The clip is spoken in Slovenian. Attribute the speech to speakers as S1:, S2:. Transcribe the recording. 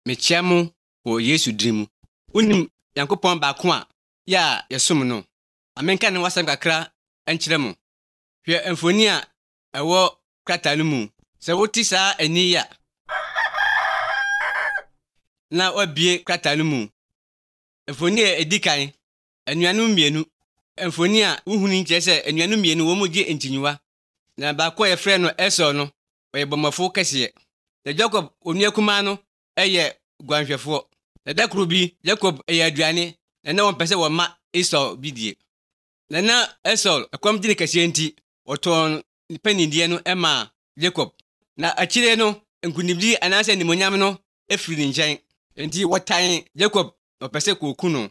S1: mechiamu wo Yesu drimu. Unim Yankopɔn baako a ya yɛsom no. Amenka ne wasam kakra enkyerɛ mo. Hwɛ mfoni a ɛwɔ krataa no mu. Sɛ wote saa ani ya na wabie krataa no mu. Mfoni a edikan anuanom mmienu. Mfoni a wohuni nkyerɛ sɛ anuanom mmienu wo mu gye ntinyiwa. Na baako a yɛfrɛ no Esau no, ɔyɛ bɔmmɔfo kɛseɛ. Na Jacob onua kumaa no ɛyɛ guanhwɛfoɔ. Na da koro bi Jacob ɛyɛ aduane na wɔmpɛ sɛ wɔma Esau bi die. Na Esau ɛkɔm gyene kɛseɛ nti wɔtɔn panidie no ɛma Jacob. Na akyire no nkunimdi anaasɛ nimonyam no efiri ne nkyɛn. Enti wɔtan Jacob ɔpɛ sɛ koku no.